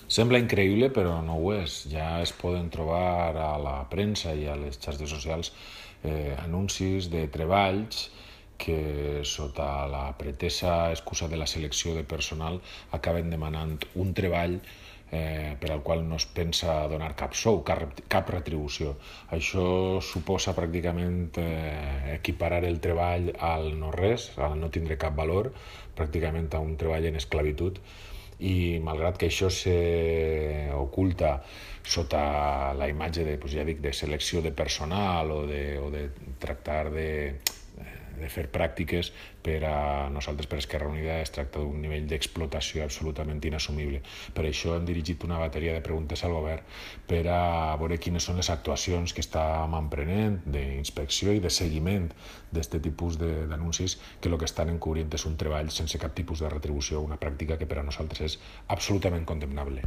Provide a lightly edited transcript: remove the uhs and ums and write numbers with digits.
Sembla increïble, però no ho és. Ja es poden trobar a la premsa i a les xarxes socials anuncis de treballs que sota la pretesa excusa de la selecció de personal acaben demanant un treball per al qual no es pensa donar cap sou, cap retribució. Això suposa pràcticament equiparar el treball al no-res, al no tindre cap valor, pràcticament a un treball en esclavitud, i malgrat que això s'oculta sota la imatge de, ja dic, de selecció de personal o de tractar de fer pràctiques, per a nosaltres, per Esquerra Unida, es tracta d'un nivell d'explotació absolutament inassumible. Per això hem dirigit una bateria de preguntes al govern per a veure quines són les actuacions que estem emprenent d'inspecció i de seguiment d'aquest tipus d'anuncis, que el que estan encobrint és un treball sense cap tipus de retribució, una pràctica que per a nosaltres és absolutament condemnable.